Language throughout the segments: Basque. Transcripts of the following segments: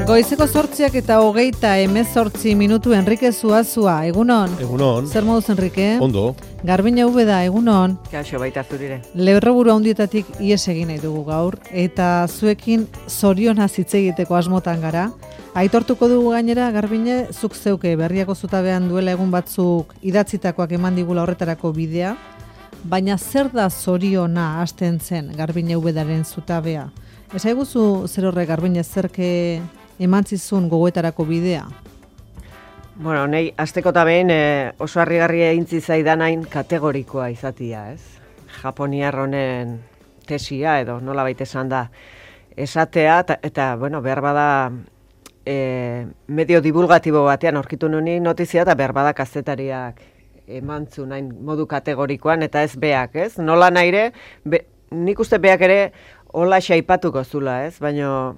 Goizeko 8:28 minutu Enrique Zuazua, egunon. Egunon. Zer moduz, Enrique? Ondo. Garbina da, egunon. Kaixo baita zurire. Lerroburu handietatik ies egin nahi dugu gaur, eta zuekin zorionaz hitz egiteko asmotan gara. Aitortuko dugu gainera, Garbine, zuk zeuke berriako zutabean duela egun batzuk idatzitakoak eman digula horretarako bidea, baina zer da zoriona hasten zen Garbine Ubedaren zutabea? Esaiguzu zer horrek, Garbine, zerke eman zizun gogoetarako bidea? Bueno, nahi, azteko eta behin oso harrigarria egintzi zaidanain kategorikoa izatia, ez? Japoniar honen tesia edo nola baita esan da esatea, eta bueno, behar bada medio divulgatibo batean aurkitu nuen notizia, eta behar bada kazetariak emantzu nahin modu kategorikoan, eta ez beak, ez? Nola nahire, nik uste beak ere hola xaipatuko zula, ez? Baina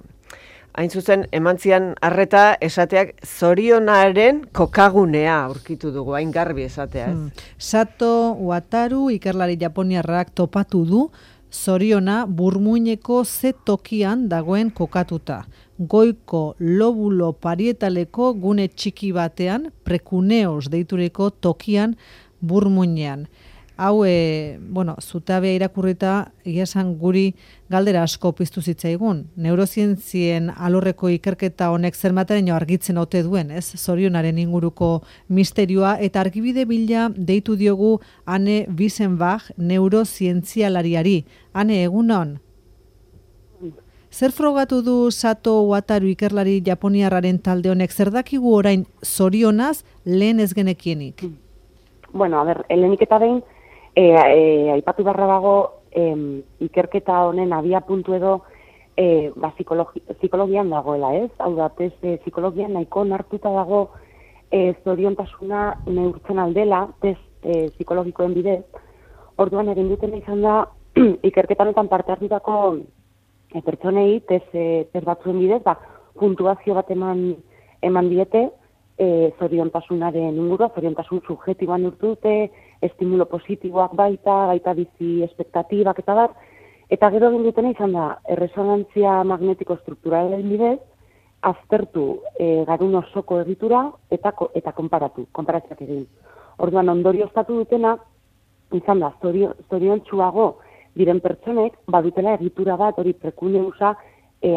hain zuzen, emantzian arreta esateak zorionaren kokagunea aurkitu dugu, hain garbi esatea, ez? Sato Wataru ikerlari japoniarrak topatu du zoriona burmuineko ze tokian dagoen kokatuta. Goiko lobulo parietaleko gune txiki batean, prekuneos deituriko tokian burmuinean. Hau, zutabea irakurrita, esan guri galdera asko piztu zitzaigun. Neurozientzien alorreko ikerketa honek zermataraino argitzen ote duen, ez? Zorionaren inguruko misterioa, eta argibide bila deitu diogu Anne Wiesenbach neurozientzialariari. Anne, egunon? Zer frogatu du Sato Wataru ikerlari japoniarraren talde honek? Zer dakigu orain zorionaz lehen ez genekienik? Bueno, lehenik eta behin, aipatu barra dago ikerketa honen abia puntu edo psikologian dagoela, ez? Hau da, psikologian nahiko nartuta dago zoriontasuna neurtzen aldela, psikologikoen bidez. Orduan egin duten izan da, ikerketanetan parte hartutako pertsonei, test batzuen bidez, puntuazio bat eman diete, zoriontasunaren ingurua, zoriontasun subjetiboan urtu dute, estimulo positiboak baita bizi espektatibak eta bat, eta gero egin dutena izan da, erresonantzia magnetiko strukturalen bidez, aztertu garun osoko egitura eta konparatziak egin. Orduan ondorioztatu dutena, izan da, zoriontsuago diren pertsonek, badutela egitura bat, hori prekuneusa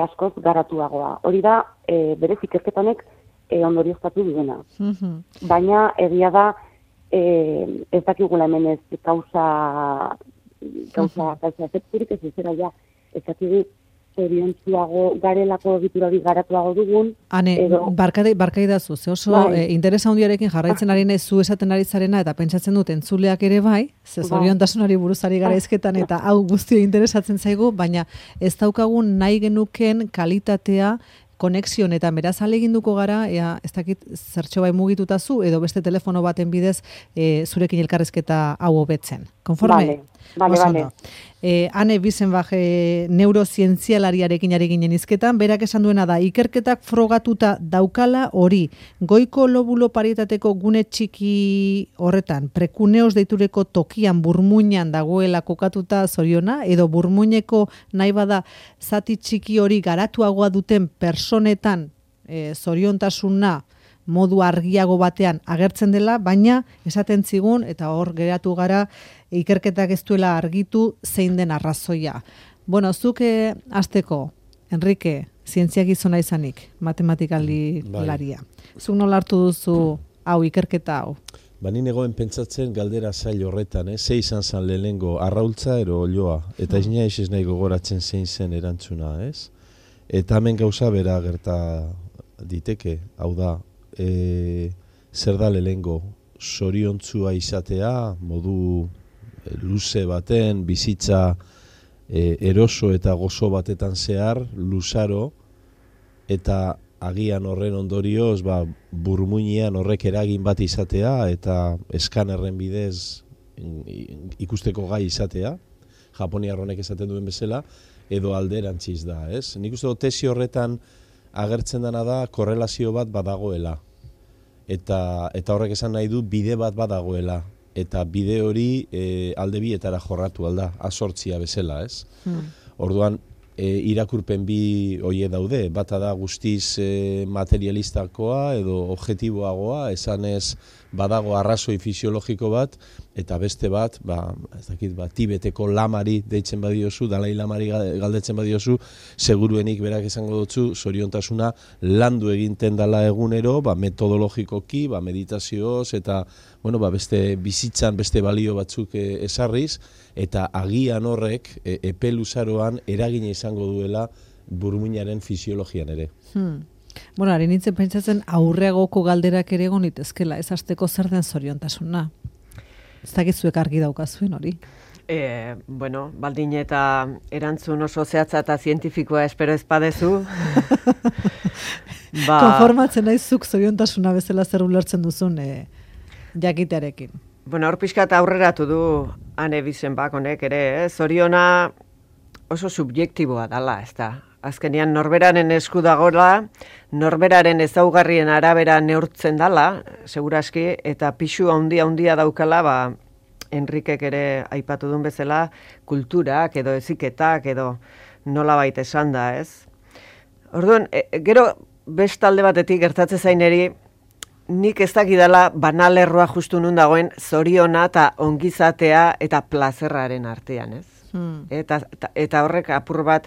askoz garatuagoa. Hori da, berez ikerketanek ondorioztatu duena. Baina egia da, ez dakigula hemen ez kausa efekturik, ez zera ja, ez dakigu zoriontsuago garelako egiturari garatuago dugun. Hane, barkai dazu, ze oso interesa handiarekin jarraitzen ari nahi zu esaten ari zarena, eta pentsatzen dut entzuleak ere bai, ze zoriontasunari buruzari garaizketan, eta hau guztio interesatzen zaigu, baina ez daukagun nahi genuken kalitatea konexion, eta beraz aleginduko gara, ez dakit zertxo bai mugituta zu, edo beste telefono baten bidez zurekin elkarrezketa hau hobetzen. Konforme? Bale. Anne Wiesenbach neurozientzialariarekin ari ginen izketan, berak esan duena da, ikerketak frogatuta daukala hori, goiko lobulo parietateko gune txiki horretan, prekuneos deitureko tokian burmuinan dagoela kokatuta zoriona, edo burmuineko nahi bada zati txiki hori garatuagoa duten personetan zoriontasuna modu argiago batean agertzen dela, baina esaten zigun, eta hor geratu gara, ikerketak ez duela argitu zein den arrazoia. Bueno, zuke hasteko, Enrique, zientzia gizona izanik, matematikaldi laria. Zuk nola hartu duzu hau, ikerketa hau? Ni negoen pentsatzen galdera zail horretan, ze izan zen lehenengo, arraultza ero olioa, eta ez nahi gogoratzen zein zen erantzuna, ez? Eta hemen gauza bera gerta diteke, hau da, zer da lehenengo, zoriontzua izatea, modu luze baten, bizitza eroso eta gozo batetan zehar, luzaro, eta agian horren ondorioz, burmuinean horrek eragin bat izatea, eta eskanerren bidez ikusteko gai izatea, japoniar honek esaten duen bezala, edo alderantziz da, ez? Nik uste dut tesi horretan agertzen dena da korrelazio bat badagoela. Eta horrek esan nahi du bide bat badagoela. Eta bide hori alde bietara jorratu alda, azortzia bezala, ez? Orduan, irakurpen bi hoie daude, bata da guztiz materialistakoa edo objektiboagoa, esanez badago arrazoi fisiologiko bat, eta beste bat, Tibeteko lamari deitzen badiozu, Dalai Lamari galdetzen badiozu, seguruenik berak esango dutzu, zoriontasuna landu eginten dala egunero, metodologikoki, meditazioz, eta beste bizitzan, beste balio batzuk esarriz, eta agian horrek epe luzaroan eragina izango duela burmuinaren fisiologian ere. Bueno, ari nintzen pentsatzen aurreagoko galderak ere egon itezkela, ez hasteko zer den zoriontasuna. Ez dakizuek argi daukazuen hori. Baldin eta erantzun oso zehatza eta zientifikoa espero ez badezu. Konformatzen naizuk zoriontasuna bezala zer ulertzen duzun jakitearekin. Hor pixkat aurreratu du Anne Bisenbach honek ere, zoriona oso subjektiboa dala, ez da. Azkenean norberaren esku dagoela, norberaren ezaugarrien arabera neurtzen dala, seguraski, eta pixu handia daukala, Enrikek ere aipatu duen bezala, kulturak edo eziketak edo nolabait esan da, ez? Orduan, gero bestalde batetik gertatzen zaineri, nik ez dakidala banalerroa justu nun dagoen zoriona eta ongizatea eta plazerraren artean, ez? Eta horrek apur bat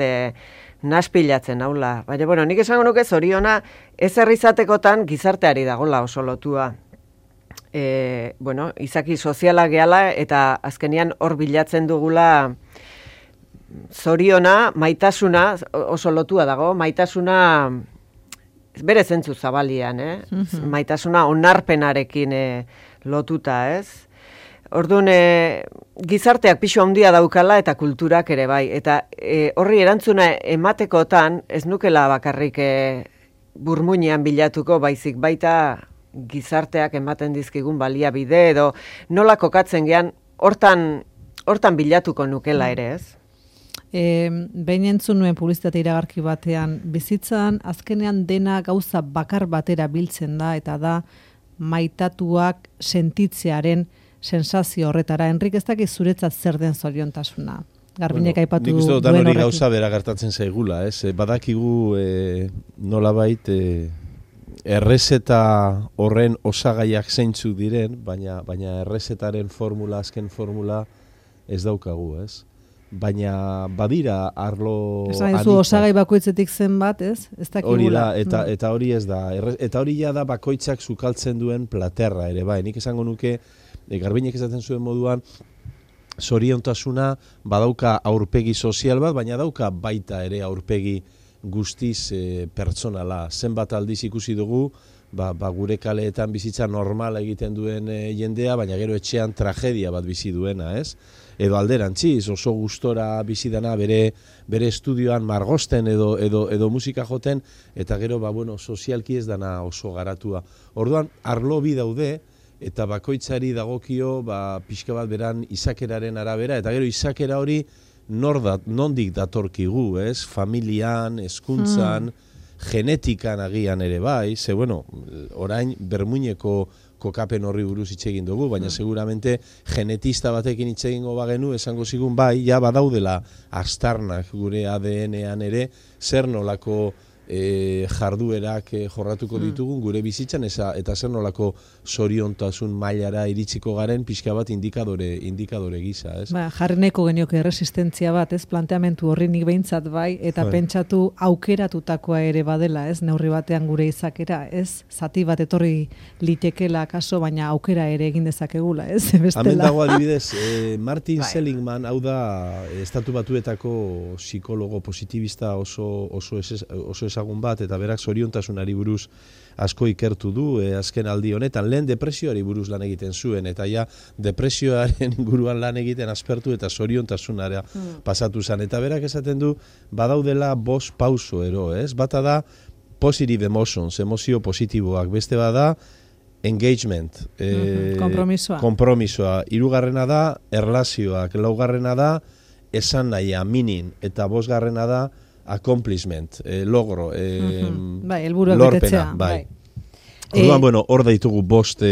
naspilatzen haula. Baina, nik esango nuke zoriona ez herrizatekotan gizarteari dagola oso lotua. Izaki soziala gehala eta azkenian hor bilatzen dugula zoriona, maitasuna oso lotua dago, maitasuna bere zentzu zabalian, maitasuna onarpenarekin lotuta, ez? Orduan, gizarteak pixu handia daukala eta kulturak ere bai. Eta horri erantzuna ematekotan, ez nukela bakarrik burmuinean bilatuko, baizik baita gizarteak ematen dizkigun baliabide edo nola kokatzen gean, hortan bilatuko nukela ere, ez? Behin entzun nuen publizitate iragarki batean, bizitzan azkenean dena gauza bakar batera biltzen da, eta da maitatuak sentitzearen sensazio horretara. Enrik, ez dakiz zuretzat zer den zoriontasuna? Garbinek aipatu duen horrekin. Nik uste dut hori gauza bera gertatzen zaigula, ez? Badakigu nolabait errezeta horren osagaiak zeintzuk diren, baina errezetaren azken formula ez daukagu, ez? Baina badira arlo adita. Esan osagai bakoitzetik zen bat, ez? Ez dakigula. Hori da, eta hori ez da. Eta hori ja da bakoitzak sukaltzen duen platerra ere, bai. Nik esango nuke, Garbinek esaten zuen moduan, zoriontasuna badauka aurpegi sozial bat, baina dauka baita ere aurpegi guztiz pertsonala. Zenbat aldiz ikusi dugu, gure kaleetan bizitza normala egiten duen jendea, baina gero etxean tragedia bat bizi duena, ez? Edo alderantziz, oso gustora bizi dana bere estudioan margosten edo musika joten, eta gero, sozialki ez dana oso garatua. Orduan, arlo bi daude, eta bakoitzari dagokio, pixka bat beran izakeraren arabera, eta gero izakera hori nondik datorkigu, ez? Familian, hezkuntzan, genetikan agian ere bai, ze, orain bermuineko kokapen horri buruz hitz egin dugu, baina seguramente genetista batekin hitz egingo bagenu, esango zigun bai, ja badaudela astarnak gure ADN-ean ere, zer nolako jarduerak jorratuko ditugun gure bizitzan, eta zer nolako zoriontasun mailara iritsiko garen pixka bat indikadore gisa, ez? Jarri nahiko genioke resistentzia bat, ez? Planteamentu horri nik behintzat bai, eta pentsatu aukeratutakoa ere badela, ez? Neurri batean gure izakera, ez? Zati bat etorri litekela kaso, baina aukera ere egin dezakegula, ez? Hemen dago adibidez, Martin Seligman, hau da, Estatu Batuetako psikologo positibista oso ezagun bat, eta berak zoriontasunari buruz asko ikertu du azken aldi honetan. Lehen depresioari buruz lan egiten zuen, eta ja depresioaren inguruan lan egiten aspertu eta zoriontasunara pasatu zen. Eta berak esaten du, badaudela 5 pauso ero, ez? Bata da positive emotions, emozio positiboak, beste bada engagement, kompromisoa, 3. da erlazioak, 4. da esan nahia, meaning, eta 5. da accomplishment, logro, helburuak lorpena, betetzea, bai. Orduan, bueno, hor daitugu bost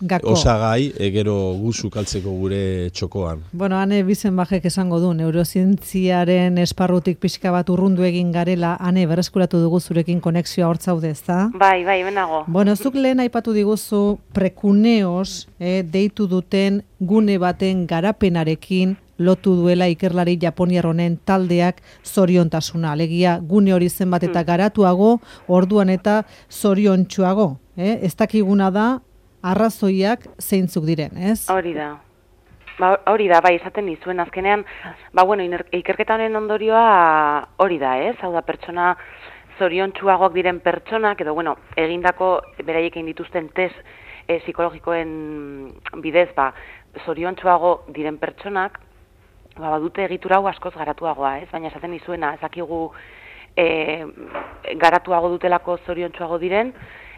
Gako. osagai, gero guzu kaltzeko gure txokoan. Bueno, Ane Bizenbajek esango du, neurozientziaren esparrutik pixka bat urrundu egin garela, Ane, berreskuratu dugu zurekin konexioa hortzaude, ezta? Bai, benago. Bueno, zuk lehen aipatu diguzu prekuneos deitu duten gune baten garapenarekin lotu duela ikerlari japoniar honen taldeak zoriontasuna. Alegia, gune hori zenbat eta garatuago, orduan eta zoriontsuago. Ez dakiguna da, arrazoiak zeintzuk diren, ez? Hori da. Hori da, bai, esaten nizuen azkenean, bueno, ikerketa honen ondorioa hori da, ez? Hau da, pertsona zoriontsuagoak diren pertsonak, edo, bueno, egindako beraiek egin dituzten test psikologikoen bidez, zoriontsuago diren pertsonak, badute egitura hau askoz garatuagoa, ez? Baina esaten nizuena, ezakigu garatuago dutelako zoriontsuago diren,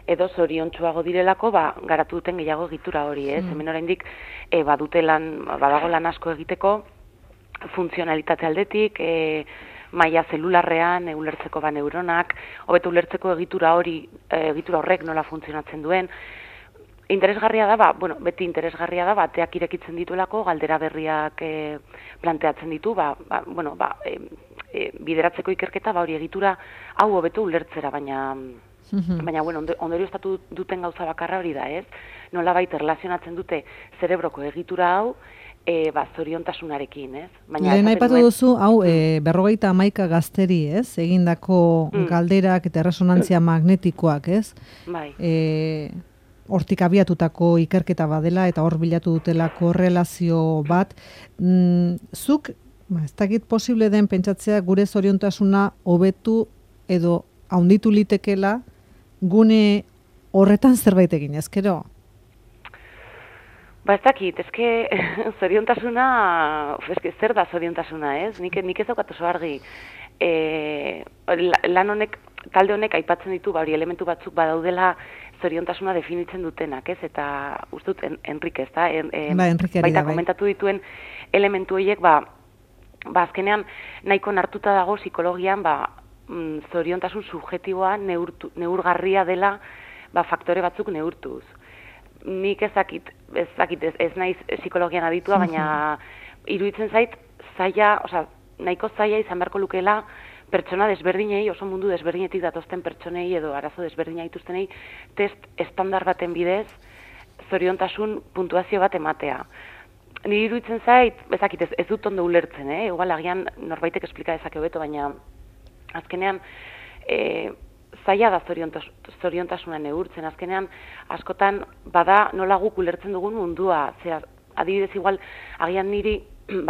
edo zoriontsuago direlako garatu duten gehiago egitura hori, ez? Hemen oraindik badago lan asko egiteko funtzionalitate aldetik, maila zelularrean ulertzeko neuronak, hobeto ulertzeko egitura horrek nola funtzionatzen duen. Interesgarria da, beti interesgarria da, bateak irekitzen dituelako, galdera berriak planteatzen ditu, bideratzeko ikerketa, hori egitura hau hobeto ulertzera, baina, bueno, ondorioztatu duten gauza bakarra hori da, ez? Nolabait erlazionatzen dute zerebroko egitura hau, zoriontasunarekin, ez? Lehen aipatu duzu, hau, 51 gazteri, ez? Egindako galderak eta resonantzia magnetikoak, ez? Bai. Hortik abiatutako ikerketa badela eta hor bilatu dutelako relazio bat. Zuk, ez dakit posible den pentsatzea gure zoriontasuna hobetu edo haunditu litekela gune horretan zerbait egin, ezkero? Ez dakit, zoriontasuna, zer da zoriontasuna, ez? Nik ez daukat oso argi. Lan honek, talde honek aipatzen ditu, hori elementu batzuk badaudela zoriontasuna definitzen dutenak, ez? Eta uste dut Enrique, ez da? Baita komentatu dituen elementu horiek, azkenean nahiko nartuta dago psikologian, zoriontasun subjetiboa neurgarria dela faktore batzuk neurtuz. Nik ez naiz psikologian aditua, baina iruditzen zait, nahiko zaila izan beharko lukeela pertsona desberdinei, oso mundu desberdinetik datozten pertsonei edo arazo desberdina dituztenei test estandar baten bidez zoriontasun puntuazio bat ematea. Niri iruditzen zait, ez dut ondo ulertzen, igual agian norbaitek esplika dezake hobeto, baina azkenean zaila da zoriontasuna neurtzen, azkenean askotan bada nola guk ulertzen dugun mundua, adibidez igual agian niri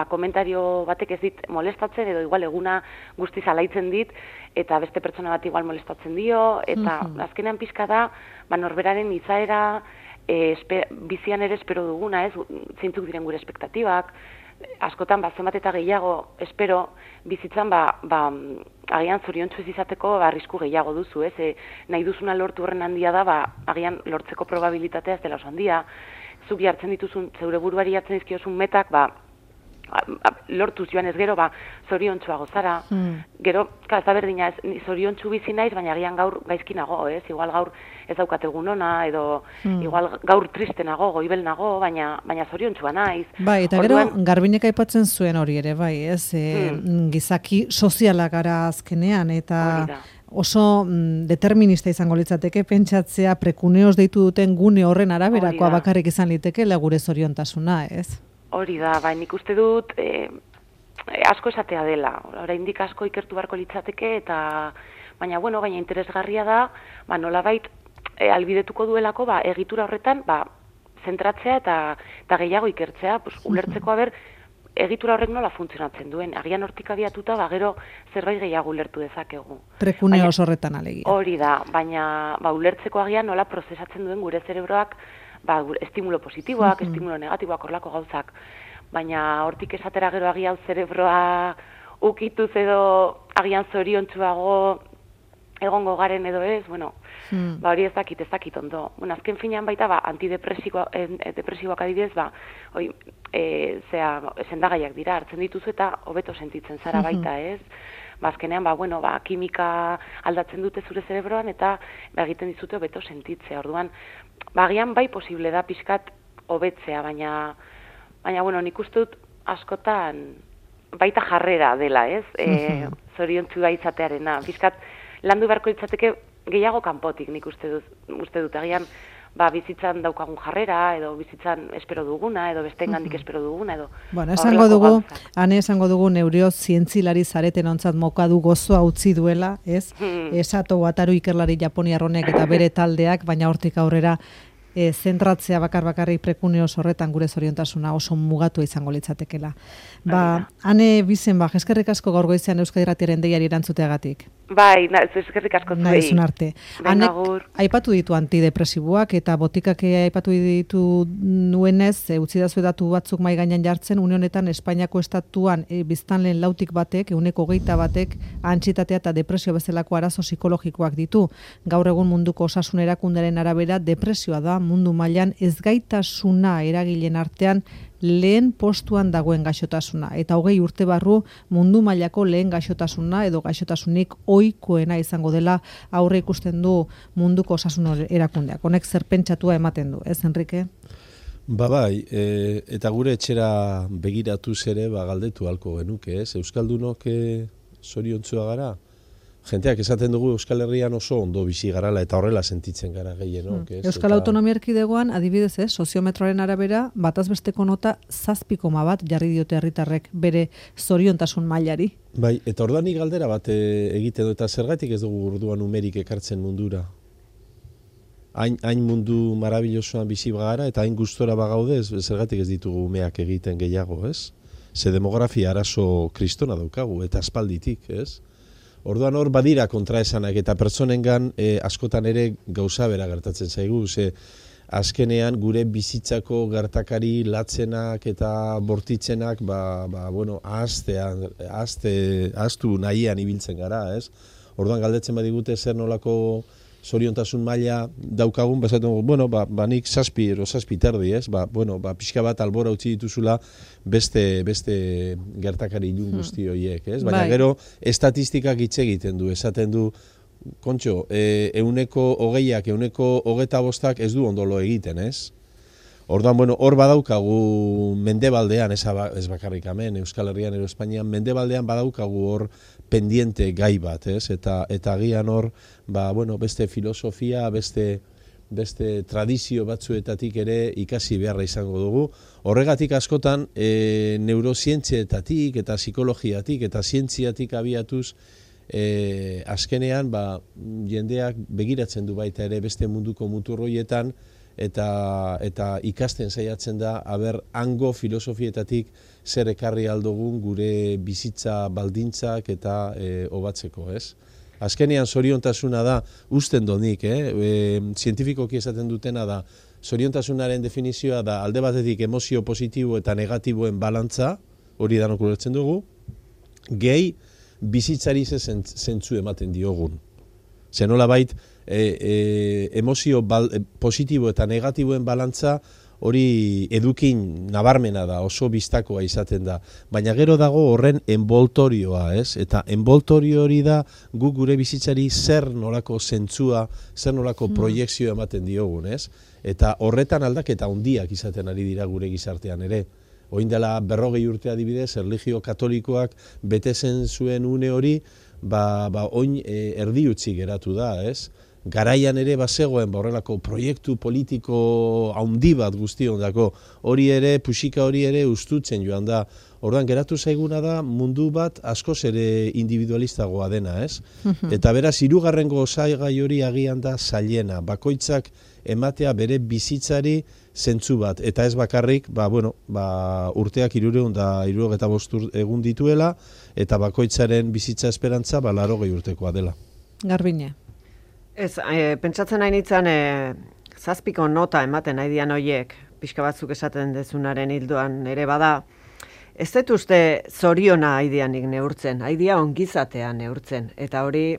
komentario batek ez dit molestatzen edo igual eguna guztiz alaitzen dit eta beste pertsona bat igual molestatzen dio eta azkenean pixka da norberaren izaera bizian ere espero duguna, ez? Zeintzuk diren gure espektatibak, askotan zenbat eta gehiago espero bizitzan agian zoriontsu ez izateko arrisku gehiago duzu, ez? Nahi duzuna lortu horren handia da, agian lortzeko probabilitatea ez dela oso handia. Zuk jartzen dituzun, zeure buruari jartzen dizkiozun metak, lortuz joan ez gero, zoriontsuago zara. Gero, ez da berdina, zoriontsu bizi naiz, baina agian gaur gaizki nago, ez? Igual gaur ez daukat egun ona, edo igual gaur triste nago, goibel nago, baina zoriontsua naiz. Bai, eta gero, Garbinek aipatzen zuen hori ere, bai, ez? Gizaki soziala gara azkenean, eta oso determinista izango litzateke pentsatzea prekuneos deitu duten gune horren araberakoa bakarrik izan liteke gure zoriontasuna, ez? Hori da, nik uste dut asko esatea dela. Oraindik asko ikertu beharko litzateke baina interesgarria da, nolabait albidetuko duelako egitura horretan zentratzea eta gehiago ikertzea, ulertzeko egitura horrek nola funtzionatzen duen. Agian hortik abiatuta gero zerbait gehiago ulertu dezakegu. Prekuneos horretan alegia. Hori da, baina ulertzeko agian nola prozesatzen duen gure zerebroak estimulo positiboak, estimulo negatiboak, horlako gauzak. Baina hortik esatera gero agian zerebroa ukituz edo agian zoriontsuago egongo garen edo ez, hori ez dakit ondo. Azken finean baita, antidepresiboak adibidez, sendagaiak dira, hartzen dituzu eta hobeto sentitzen zara baita, ez? azkenean, kimika aldatzen dute zure zerebroan, eta egiten dizute hobeto sentitzea. Orduan, agian bai posible da pixkat hobetzea, baina nik uste dut askotan baita jarrera dela, ez? Zoriontsua izatearena. Pixkat landu beharko litzateke gehiago kanpotik, nik uste dut. Agian, bizitzan daukagun jarrera, edo bizitzan espero duguna, edo besteengandik espero duguna, edo... Bueno, esango dugu neurio zientzilari zareten ontzat mokadu gozoa utzi duela, ez? Esato Wataru ikerlari japoniarronek eta bere taldeak, baina hortik aurrera zentratzea bakarrik prekuneoz horretan gure zoriontasuna oso mugatu izango litzatekela. Ane bizen, eskerrik asko gaur goizean Euskadi Irratiaren deiari erantzuteagatik. Bai, eskerrik asko zuei. Naizun arte. Anek aipatu ditu antidepresiboak eta botikak aipatu ditu nuenez, utzi dazu datu batzuk mai gainean jartzen, une honetan Espainiako estatuan biztanleen 6tik batek, 21%, antsietatea eta depresio bezalako arazo psikologikoak ditu. Gaur egun munduko osasun erakundearen arabera depresioa da mundu mailan ezgaitasuna eragileen artean lehen postuan dagoen gaixotasuna, eta 20 urte barru mundu mailako lehen gaixotasuna edo gaixotasunik ohikoena izango dela aurre ikusten du munduko osasun erakundeak. Honek zer pentsatua ematen du, ez Enrique? Bai, eta gure etxera begiratuz ere galdetu halko genuke, ez? Euskaldunok zoriontsua gara? Jenteak esaten dugu Euskal Herrian oso ondo bizi garala eta horrela sentitzen gara gehienok. Euskal Autonomia Erkidegoan, adibidez, soziometroaren arabera, bataz besteko nota 7,1 jarri diote herritarrek bere zoriontasun mailari. Bai, eta ordanik galdera bat egiten du, eta zergatik ez dugu orduan numerik ekartzen mundura? Hain mundu marabillosoan bizi bagara eta hain gustora bagaude, zergatik ez ditugu umeak egiten gehiago, ez? Ze demografia arazo kristona daukagu, eta aspalditik, ez? Orduan hor badira kontraesanak eta pertsonengan askotan ere gauza bera gertatzen zaigu, ze azkenean gure bizitzako gertakari latzenak eta bortitzenak ahaztu nahian ibiltzen gara, ez? Orduan galdetzen badigute zer nolako zoriontasun maila daukagun, nik 7 edo 7 terdi, ez? Pixka bat albora utzi dituzula beste gertakari ilun guzti horiek, ez? Baina gero estatistikak hitz egiten du, esaten du, kontxo, 20%ak, 25% ez du ondolo egiten, ez? Orduan, hor badaukagu mendebaldean, ez bakarrik hemen, Euskal Herrian edo Espainian, mendebaldean badaukagu hor pendiente gai bat, ez? Eta agian hor, beste filosofia, beste tradizio batzuetatik ere ikasi beharra izango dugu. Horregatik askotan, neurozientzietatik eta psikologiatik eta zientziatik abiatuz, azkenean, jendeak begiratzen du baita ere beste munduko muturroietan, eta ikasten saiatzen da, hango filosofietatik zer ekarri aldogun gure bizitza baldintzak eta hobatzeko, ez? Azkenean zoriontasuna da, usten donik, zientifikoki esaten dutena da, zoriontasunaren definizioa da alde batetik emozio positibo eta negatiboen balantza, hori danok ulertzen dugu, gehi bizitzari zentzu ematen diogun. Zenola bait, emozio positibo eta negatiboen balantza hori edukin nabarmena da, oso bistakoa izaten da. Baina gero dago horren enboltorioa, ez? Eta enboltorio hori da guk gure bizitzari zer nolako zentzua, zer nolako proiekzioa ematen diogun, ez? Eta horretan aldaketa handiak izaten ari dira gure gizartean ere. Oin dela 40 urte adibidez, erlijio katolikoak betezen zuen une hori, oin erdi utzi geratu da, ez? Garaian ere bazegoen horrelako proiektu politiko handi bat guztiondako, hori ere, puxika hori ere ustutzen joan da. Orduan geratu zaiguna da mundu bat askoz ere individualistagoa dena, ez? Eta beraz, 3. osaigai hori agian da zailena, bakoitzak ematea bere bizitzari zentzu bat, eta ez bakarrik, urteak 375 egun dituela, eta bakoitzaren bizitza esperantza 80 urtekoa dela. Garbine. Ez, pentsatzen nahi nintzen 7ko nota ematen nahi dian horiek, pixka batzuk esaten dezunaren hildoan ere bada, ez dut uste zoriona haidianik neurtzen, haidia ongizatea neurtzen, eta hori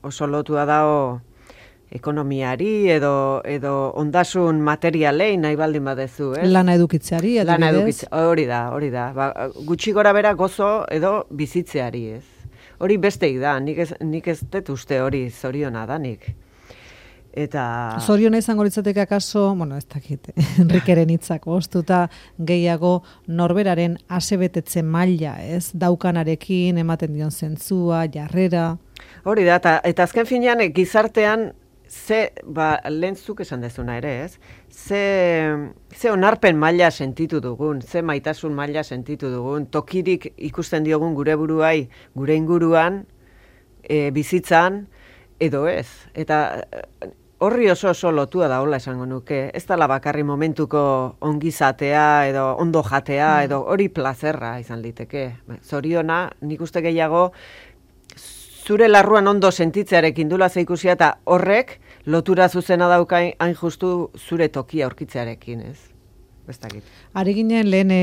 oso lotua dago ekonomiari edo ondasun materialei nahi baldin badezu, ez? Lana edukitzeari, adibidez? Lana edukitzeari, hori da. Gutxi gora bera gozo edo bizitzeari, ez? hori besteik da, nik ez dut uste hori zoriona da nik. Eta... Zoriona izango litzateke akaso, ez dakit, Enrikeren hitzak ostuta gehiago norberaren asebetetze maila, ez? Daukanarekin, ematen dion zentzua, jarrera... Hori da, eta azken finean gizartean lehentzuk esan dezuna ere, ez? Ze onarpen maila sentitu dugun, ze maitasun maila sentitu dugun, tokirik ikusten diogun gure buruai, gure inguruan, bizitzan, edo ez. Eta horri oso lotua da hola esango nuke. Ez dela bakarri momentuko ongizatea, edo ondo jatea, edo hori plazerra izan liteke. Zoriona, nik uste gehiago, zure larruan ondo sentitzearekin dula zeikusia eta horrek lotura zuzena dauka hain justu zure tokia aurkitzearekin, ez? Bestakit. Ari ginen lehen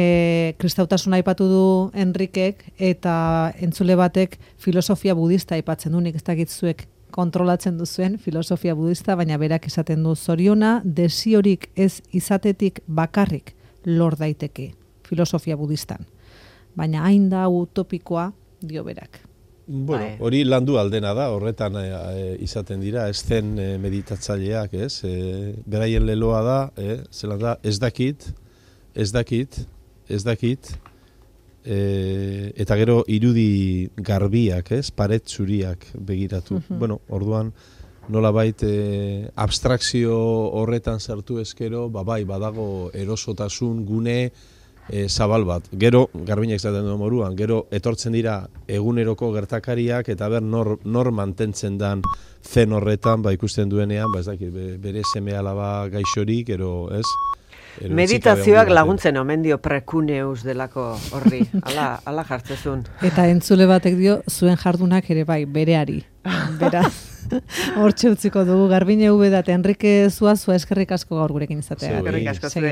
kristautasuna aipatu du Enrikek eta entzule batek filosofia budista aipatzen du, nik ez dakit zuek kontrolatzen duzuen filosofia budista, baina berak esaten du zoriona desiorik ez izatetik bakarrik lor daiteke filosofia budistan. Baina hain da utopikoa dio berak. Bueno, hori landu aldena da, horretan izaten dira, ez zen meditatzaileak, ez? Beraien leloa da, zelan da, ez dakit, eta gero irudi garbiak, ez? Paret zuriak begiratu. Bueno, orduan, nolabait abstrakzio horretan sartu ezkero, bai, badago erosotasun gune, zabal bat. Gero, garbinak zaten du moruan, gero etortzen dira eguneroko gertakariak eta nor mantentzen dan zen horretan, ikusten duenean, ez dakit, bere seme alaba gaixorik, ez? Meditazioak laguntzen omen dio prekuneus delako horri, ala jartzezun. Eta entzule batek dio, zuen jardunak ere bai, bereari. Beraz, hortxe utziko dugu, Garbine Ubeda eta Enrike Zuazua eskerrik asko gaur gurekin izatea. Eskerrik asko zuen.